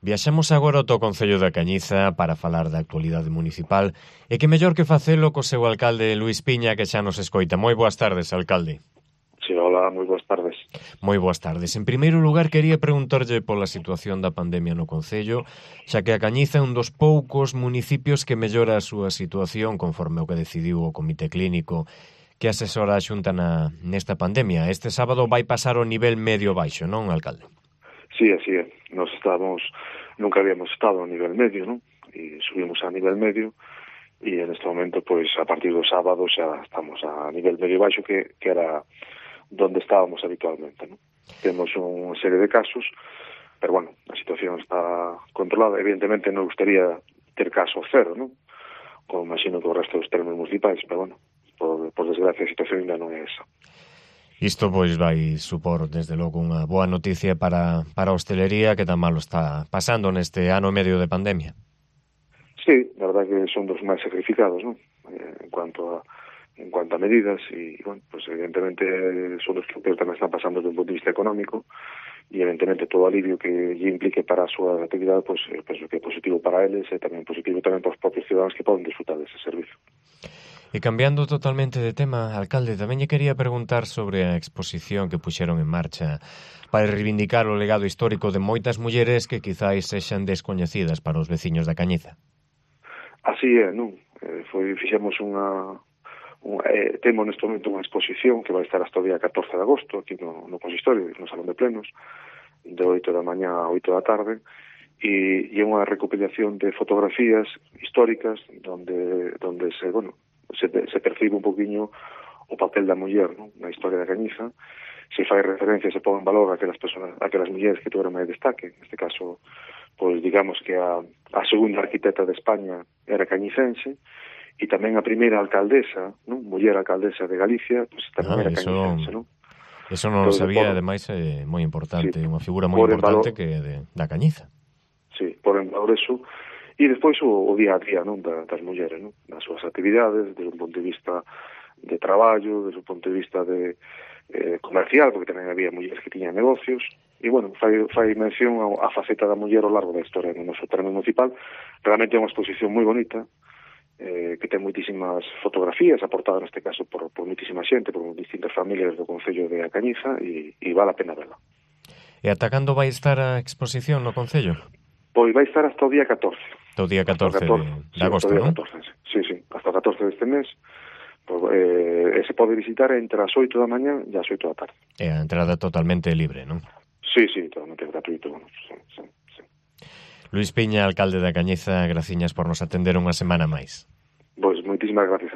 Viaxamos agora ao Concello da Cañiza para falar da actualidade municipal e que mellor que facelo co seu alcalde Luís Piña, que xa nos escoita. Moi boas tardes, alcalde. Sí, hola, moi boas tardes. Moi boas tardes. En primeiro lugar, quería preguntarlle pola situación da pandemia no Concello, xa que a Cañiza é un dos poucos municipios que mellora a súa situación conforme o que decidiu o Comité Clínico que asesora a Xunta nesta pandemia. Este sábado vai pasar o nivel medio-baixo, non, alcalde? Sí, así é. Nunca habíamos estado a nivel medio, non? E subimos a nivel medio e en este momento, pois, a partir do sábado xa estamos a nivel medio-baixo que era donde estábamos habitualmente, non? Temos unha serie de casos, pero, bueno, a situación está controlada. Evidentemente, non gustaría ter caso cero, non? Como imagino que o resto dos termos municipais, pero, bueno, por desgracia, a situación ainda non é esa. Isto, pois, vai supor, desde logo, unha boa noticia para a hostelería que tan malo está pasando neste ano e medio de pandemia. Sí, la verdad que son dos máis sacrificados, non? En cuanto a medidas e, bueno, pues evidentemente son os que tamén están pasando desde un punto de vista económico e evidentemente todo alivio que lle implique para a súa actividade, pues penso que é positivo para eles e tamén positivo tamén para os propios ciudadanos que poden disfrutar dese servizo. E cambiando totalmente de tema, alcalde, tamén lle quería preguntar sobre a exposición que puxeron en marcha para reivindicar o legado histórico de moitas mulleres que quizáis sexan descoñecidas para os veciños da Cañiza. Así é, non? Fixemos temos neste momento unha exposición que vai estar hasta o día 14 de agosto aquí no consistorio, no Salón de Plenos, de 8 da mañá a 8 da tarde, e é unha recopilación de fotografías históricas donde se percibe un poquinho o papel da muller, non? Na historia da Cañiza. Se fai referencia, se pon en valor aquelas mulleres que tuveron máis destaque. Neste caso, pois digamos que a segunda arquitecta de España era cañicense e tamén a primeira alcaldesa, non? Muller alcaldesa de Galicia, pois tamén era cañicense, non? Eso non lo sabía, ademais é moi importante, unha figura moi importante que da Cañiza. Sí, por en valor eso. E despois o día a día, non, das mulleres, non? Nas súas actividades, desde un punto de vista de traballo, desde un punto de vista de comercial, porque tamén había mulleres que tiñan negocios, e, bueno, fai mención a faceta da muller ao largo da historia no noso termo municipal. Realmente é unha exposición moi bonita, que ten moitísimas fotografías aportadas neste caso por moitísima xente, por distintas familias do Concello de A Cañiza, e vale a pena verla. E ata cando vai estar a exposición no Concello? Pois vai estar hasta o día 14. Hasta o día 14 de agosto, non? Sí, hasta o 14 deste mes. Se pode visitar entre as 8 da mañá e as 8 da tarde. E a entrada totalmente libre, non? Sí, totalmente gratuito. Sí. Luís Piña, alcalde da Cañiza, graciñas por nos atender unha semana máis. Pois moitísimas gracias a vos.